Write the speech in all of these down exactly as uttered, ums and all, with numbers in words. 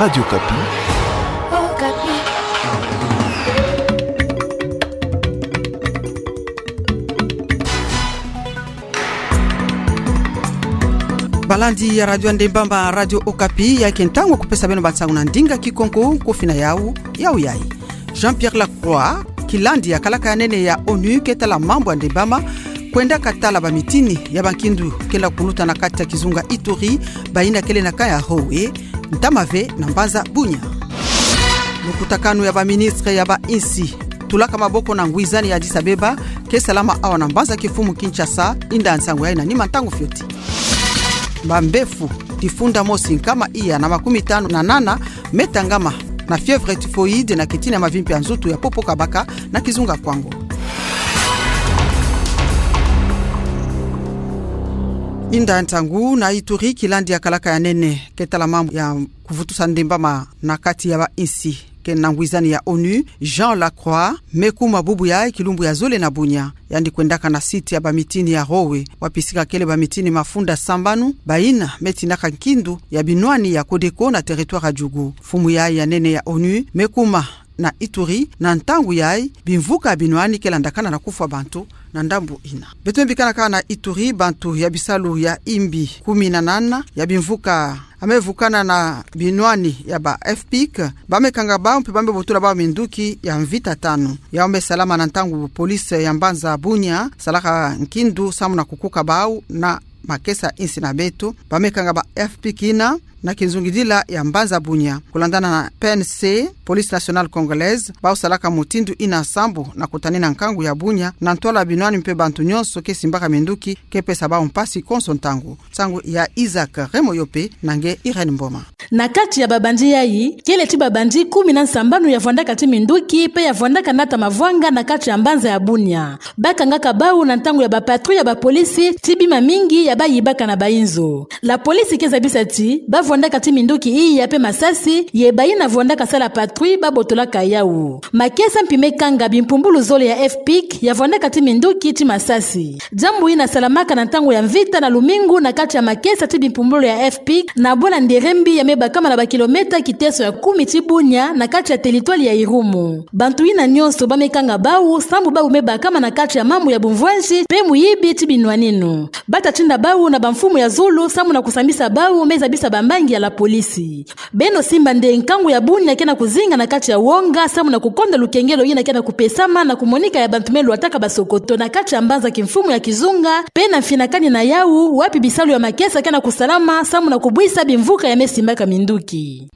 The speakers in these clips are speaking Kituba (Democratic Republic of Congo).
Radio Okapi. Balandi ya Radio Ndembama, Radio Okapi, ya ke ntangu kupesa beno bansangu na ndinga Kikongo, kofina yau, yau yayi. Jean-Pierre Lacroix, kilandi ya kalaka ya nene ya onu ke tala mambu ya ndembama, kwendaka tala bamitini ya bankindu kenda kuluta na kati ya kizunga Ituri, bayina kele na ka ya Howe, ntama ve na mbanza Bunia. Lukutakanu ya baministre ya ba insi tulaka maboko na ngwizani ya Addis Abeba ke salama awa na mbanza kimfumu Kinshasa, inda nsangu yayi na nima ntangu fioti. Bambefu difunda mosi nkama iya na makumi tanu na nana me tangama na fièvre typhoïde na kitini ya mavimpi ya nzutu ya popo kabaka na kizunga Kwango. Inda ntangu na Ituri, kilandi ya kalaka ya nene ke tala mambu ya kuvutusa ndembama na kati ya ba insi ke na ngwizani ya onu, Jean Lacroix, me kuma bubu yayi kilumbu ya zole na Bunia. Yandi kwendaka na site ya bamitini ya Howe, wapi sika kele bamitini mafunda sambanu, bayina me tinaka nkindu ya binwani ya Codeco na territoire ya Djugu. Mfumu yayi ya nene ya onu me kuma na Ituri na ntangu yayi bimvuka ya binwani ke landakana na kufwa bantu na ndambu yina. Beto me bikanaka na Ituri, bantu ya bisalu ya imbi kumi na nana ya bimvuka ya me vukana na binwani ya ba FPIC, ba me kanga bau mpe ba me botula bau minduki ya mvita tanu. Yau me salama na ntangu police ya mbanza Bunia salaka nkindu samu na kukuka bau na makesa insi na beto. Ba me kanga ba FPIC yina na kinzungidila ya mbanza Bunia. Kulandana na PNC, Police Nationale Congolaise, bau salaka mutindu yina sambu na kutanina nkangu ya Bunia na ntwala binwani mpe bantu nyonso ke simbaka minduki ke pesa bau mpasi konso ntangu. Nsangu ya Isaac Remoyope na nge Irène Mboma. Na kati ya babandi yayi, kele ti babandi kumi na nsambanu ya vwandaka ti minduki mpe ya vwandaka nata mavwanga na kati ya mbanza ya Bunia. Ba kangaka bau na ntangu ya ba patrouille ya ba polisi ti bima mingi ya ba yibaka na ba inzo. La police ke zabisa ti ba vwandaka ti minduki iya mpe masasi, ye bayina vwandaka sala patrouille ba botolaka yau. Makesa mpi me kanga bimpumbulu zole ya FPIC ya vwandaka ti minduki ti masasi. Diambu yina salamaka na ntangu ya mvita na lumingu na kati ya makesa ti bimpumbulu ya FPIC na bwala Nderembi ya me bakama na ba kilomètre kiteso ya kumi ti Bunia na kati ya territoire ya Irumu. Bantu yina nyonso ba me kanga bau sambu bau me bakama na kati ya mambu ya bumvwanzi mpe muyibi ti binwaninu. Ba ta tinda bau na bamfumu ya zulu samu na kusambisa bau, me zabisa bambangi ya la police. Beno simba nde nkangu ya Bunia ke na kuzinga na kati ya wonga samu na kukonda lukengelo yina ke na kupesama na kumonika ya bantu me lwataka basokoto na kati ya mbanza kimfumu ya kizunga, mpe na mfinakani na yau, wapi bisalu ya makesa ke na kusalama samu na kubwisa bimvuka ya me simbaka minduki.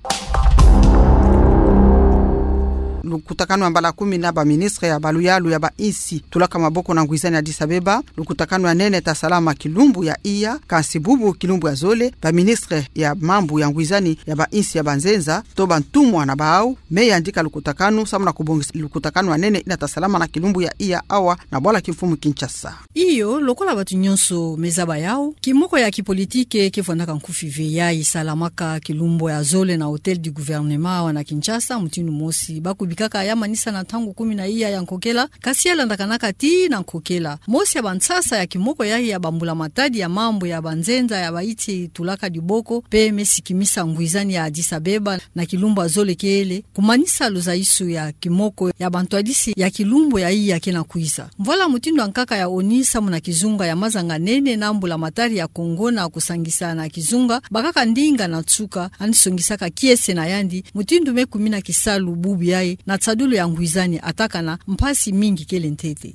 Lukutakanu ya mbala kumi na baministre ya baluyalu ya ba insi tulaka maboko na ngwizani ya Addis Abeba. Lukutakanu ya nene ta salama kilumbu ya iya, kansi bubu kilumbu ya zole, baministre ya mambu ya ngwizani ya ba insi ya banzenza, to bantumwa na bau, me yandika lukutakanu samu na kubongisa lukutakanu ya nene yina ta salama na kilumbu ya iya awa na bwala kimfumu Kinshasa. Iyo, lokola bantu nyonso me zaba yau, kimoko ya kipolitike ke vwandaka nkufi ve yayi salamaka kilumbu ya zole na Hôtel du Gouvernement awa na Kinshasa, mutindu mosi ba kubikaka ya manisa na ntangu kumi na iya ya nkokela, kasi ya landakanaka tii na nkokela. Mosi ya bansasa ya kimoko yayi ya bambula-matadi ya mambu ya banzenza ya bayi ti tulaka diboko, mpe me sikimisa ngwizani ya Addis Abeba na kilumbu ya zole kele, kumanisa luzayisu ya kimoko ya bantwadisi ya kilumbu ya iya ke na kwiza. Mvwala mutindu ya nkaka ya ONU samu na kizunga ya mazanga-nene na mbula-matadi ya Congo na kusangisa na kizunga bakaka ndinga na nsuka, yandi songisaka kiese na yandi mutindu me kumina kisalu bubu yayi na nsadulu ya ngwizani, atakana mpasi mingi kele ntete.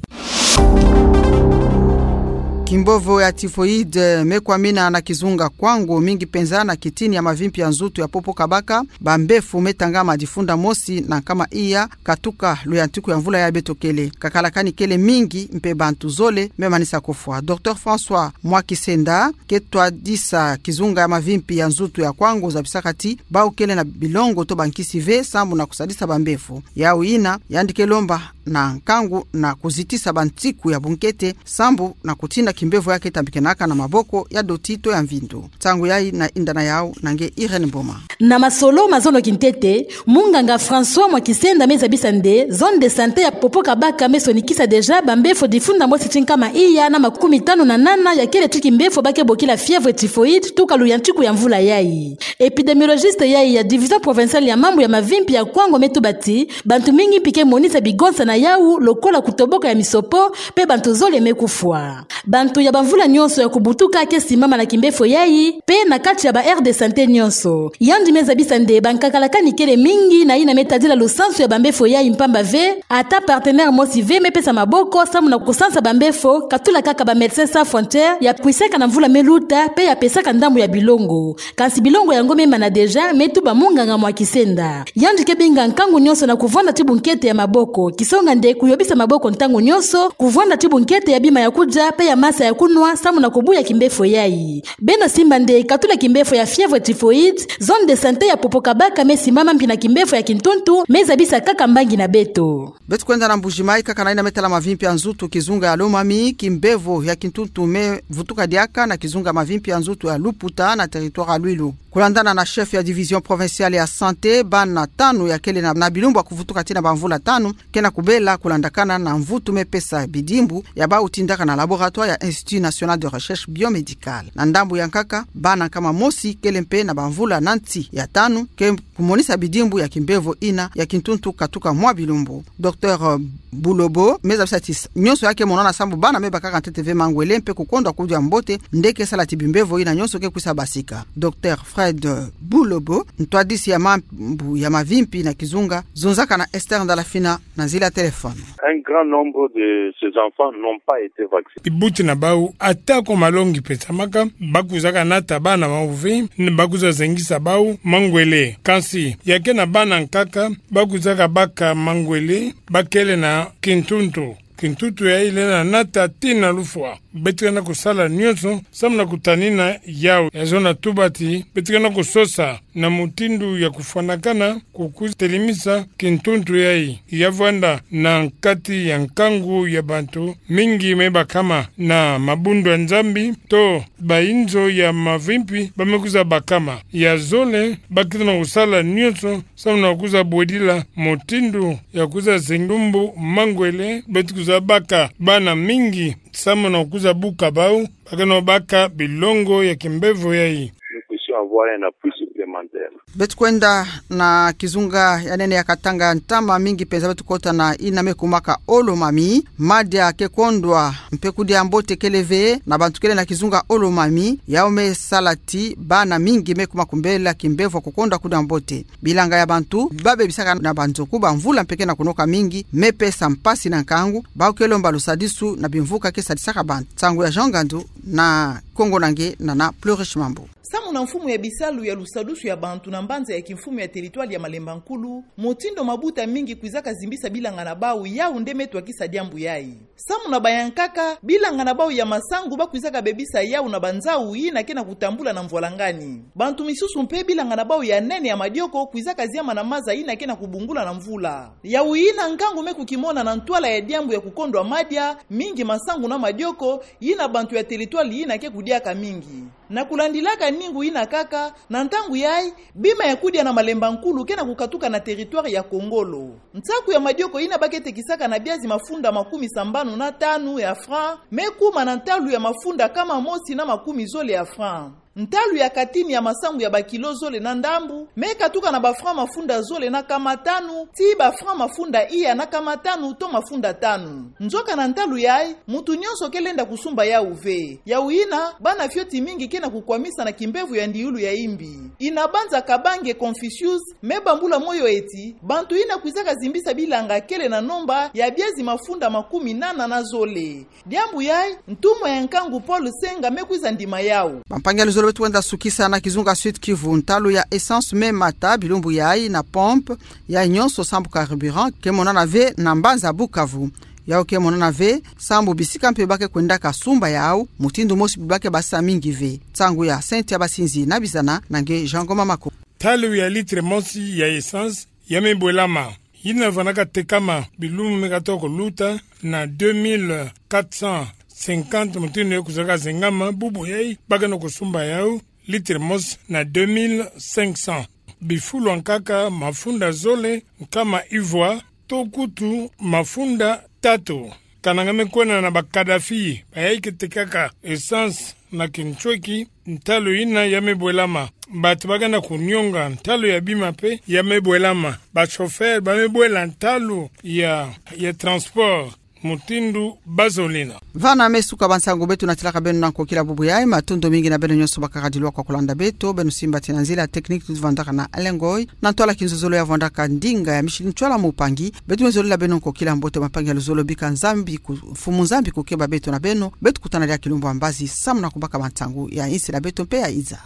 Kimbovo ya typhoïde me kwamina na kizunga Kwango, mingi penza na kitini ya mavimpi ya nzutu ya popo kabaka. Bambefu me tangama difunda mosi na nkama iya katuka luyantiku ya mvula ya beto kele. Kakala kani kele mingi mpe bantu zole me manisa kufwa. Docteur François Mwakisenda, ke twadisa kizunga ya mavimpi ya nzutu ya Kwango, zabisaka ti bau kele na bilongo to bankisi ve sambu na kusadisa bambefu. Yau yina, yandi ke lomba na nkangu na kuzitisa bansiku ya bunkete, sambu na kutina kimbevo yake tambikenaka na maboko ya doti to ya mvindu. Nsangu yayi na yinda na yawu na nge Irène Mboma. Na masolo ma zono kintete, munganga François Mwakisenda me zabisa nde zone de santé ya Popokabaka me sonikisa déjà bambefo difunda mosi ti nkama iya na makumi tanu na nana ya kele ti kimbefo ba ke bokila fièvre typhoïde tuka luyantiku ya mvula yayi. Épidémiologiste yayi ya division provinciale ya mambu ya mavimpi ya Kwango me tuba ti bantu mingi mpi ke monisa bigonsa na yawu lokola kutoboka ya misopo, mpe bantu zole me kufwa. Bantu ya bamvula nyonso ya kubutuka ke simama na kimbefo yayi, mpe na kati ya ba aire de santé nyonso. Yandi me zabisa nde bankaka lakani kele mingi na yina me tadila lusansu ya bambefo yayi mpamba ve, ata partenaire mosi ve me pesa maboko samu na kusansa bambefo, katula kaka ba Médecins Sans Frontières ya kwisaka na mvula me luta, mpe ya pesaka ndambu ya bilongo. Kansi bilongo yango me mana déjà, me tuba munganga Mwakisenda. Yandi ke binga nkangu nyonso na kuvwanda ti bunkete ya maboko, kisonga nde kuyobisa maboko ntangu nyonso, kuvwanda ti bunkete ya bima ya kudia, mpe ya masa ya kunwa, samu na kubuya kimbefo yayi. Beno simba nde katula kimbefo ya fièvre typhoïde, zone de santé ya Popokabaka me simama mpi na kimbefo ya kintuntu, me zabisa kaka mbangi na beto. Beto kwenda na Mbuji-Mayi kaka na yina me tala mavimpi ya nzutu, kizunga ya Lomami, kimbevo ya kintuntu me vutuka diaka na kizunga mavimpi ya nzutu ya Luputa na territoire ya Luilu. Kulandana na chef ya division provinciale ya santé, bana tanu ya kele na, na bilumbu ya kuvutuka tii na bamvula tanu, ke na kubela kulandakana na mvutu me pesa bidimbu ya bawu tindaka na laboratoire ya Institut National de Recherche Biomédicale. Na ndambu ya nkaka, bana nkama mosi kele mpe na bamvula na nsi ya tanu, ke kumonisa bidimbu ya kimbevo yina ya kintuntu katuka mwa bilumbu. Docteur Bulobo me zabisa ti nyonso ya ke monana sambu bana me bakaka ntete ve mangwele mpe kukondwa kudia mbote, nde ke sala ti bimbevo yina nyonso ke kwisa basika. Docteur Fred Bulobo, ntwadisi ya mambu ya mavimpi na kizunga, zonzaka na Esther Ndalafina na nzila ya téléphone. Un grand nombre de ces enfants n'ont pas été vaccinés. Bibuti na bawu, atako malongi pesamaka, ba kwizaka nata bana bawu ve, ba kwiza zengisa bawu mangwele. Kansi, ya ke na bana nkaka, ba kwizaka baka mangwele, ba kele na kintuntu. Kintuntu yayi lenda nata tii na lufwa. Beto ke na kusala nyonso samu na kutanina yawu. Ya zona tuba ti beto ke na kusosa na mutindu ya kufwanakana, kukwiza telimisa kintuntu yayi ya vwanda na kati ya nkangu ya bantu mingi me bakama na mabundu ya Nzambi to bayinzo ya mavimpi ba me kwiza bakama. Ya zole, ba ke na kusala nyonso samu na kwiza bwedila mutindu ya kwiza zengi lumbu mangwele, beto kwiza baka bana mingi samu na kwiza buka bawu, ba ke na baka bilongo ya kimbevo yayi. Nous puissions avoir un appui supplémentaire. Beto kwenda na kizunga ya nene ya Katanga, ntama mingi mpenza beto kota na yina me kumaka Olomami, madia ke kondwa mpe kudia mbote kele ve na bantu kele na kizunga Olomami, yawu me sala ti bana mingi me kuma kumbela kimbevo kukondwa kudia mbote. Bilanga ya bantu ba bebisaka na banzoku bamvula mpe ke na kunoka mingi, me pesa mpasi na nkangu, bawu ke lomba lusadisu na bimvuka ke sadisaka bantu. Nsangu ya Jean Ngandu na Kongo na nge na na Plurish Mambu. Samu na mfumu ya bisalu ya lusadusu ya bantu na mbanza ya kimfumu ya territoire ya Malemba Nkulu, mutindu mabuta mingi kwizaka zimbisa bilanga na bawu, yawu nde me twakisa diambu yayi. Samu na bayankaka, bilanga na bawu ya masangu ba kwizaka bebisa yawu na banzau yina ke na kutambula na mvwalangani. Bantu misusu mpe bilanga na bawu ya nene ya madioko kwizaka ziama na maza yina ke na kubungula na mvula. Yawu yina nkangu me kukimona na ntwala ya diambu ya kukondwa madia, mingi masangu na madioko, yina bantu ya territoire yina ke kudiaka mingi. Na kulandilaka ningu yina kaka, na ntangu yayi, bima ya kudia na Malemba Nkulu ke na kukatuka na territoire ya Kongolo. Nsaku ya madioko yina ba ke tekisaka na biazi mafunda makumi sambanu na tanu ya franc, me kuma na ntalu ya mafunda nkama mosi na makumi zole ya franc. Ntalu ya katini ya masangu ya bakilo zole na ndambu, me katuka na ba franc mafunda zole na nkama tanu, tii ba franc mafunda iya na nkama tanu to mafunda tanu. Nzoka na ntalu yayi, muntu nyonso ke lenda kusumba yawu ve. Yawu yina, bana fioti mingi ke na kukwamisa na kimbevo ya ndiulu ya imbi. Yina banza Kabange Confucius me bambula moyo ti, bantu yina kwizaka zimbisa bilanga kele na nomba ya biazi mafunda makumi nana na zole. Diambu yayi, ntumwa ya nkangu Paul Senga me kwiza ndima yawu. Bampangi ya luzolo, beto kwenda sukisa na kizunga Sud-Kivu. Ntalu ya essence me mata bilumbu yayi na pompe, yayi nyonso sambu carburant ke monana ve na mbanza Bukavu. Yawu ke monana ve sambu bisika mpe ba ke kwendaka sumba yawu, mutindu mosi ba ke basisa mingi ve. Nsangu ya Cynthia Basinzi na Bizana na nge Jean Ngoma Mako. Ntalu ya litre mosi ya essence ya me bwelama. yina vandaka tekama bilumbu me katoka kuluta na deux mille quatre cent cinquante, mutindu ye kuzolaka zengama, bubu yayi bakeno kusumba yau litre mosi na deux mille cinq cents. Bifulu ankaka mafunda zole, nkama ivwa, to kutu mafunda tatu. Kananga me kwena na ba Kadhafi, bayayi ke tekaka essence na kintweki, ntalu yina ya me bwelama. Bantu bakenda kunionga ntalu ya bima pe ya me bwelama. Ba chauffeur ba me bwela ntalu ya, ya transport mutindu bazolina. Vana me suka bansangu beto natilaka beno na nkokila bubu yayi, matondo mingi na beno nyonso bakaka dilwa kwa kulanda beto, beno simba ti na nzila technique tuvandaka na Alengoi, na ntwala kinzozolo ya vandaka ndinga ya Micheline Ntwala Mupangi. Beto me zolela beno nkokila mbote, mapangi ya luzolo bika Nzambi ku-, Mfumu Nzambi kukeba beto na beno, beto kutana diaka kilumbu ya mbazi, samu na kubaka bansangu ya insi na beto mpe ya iza.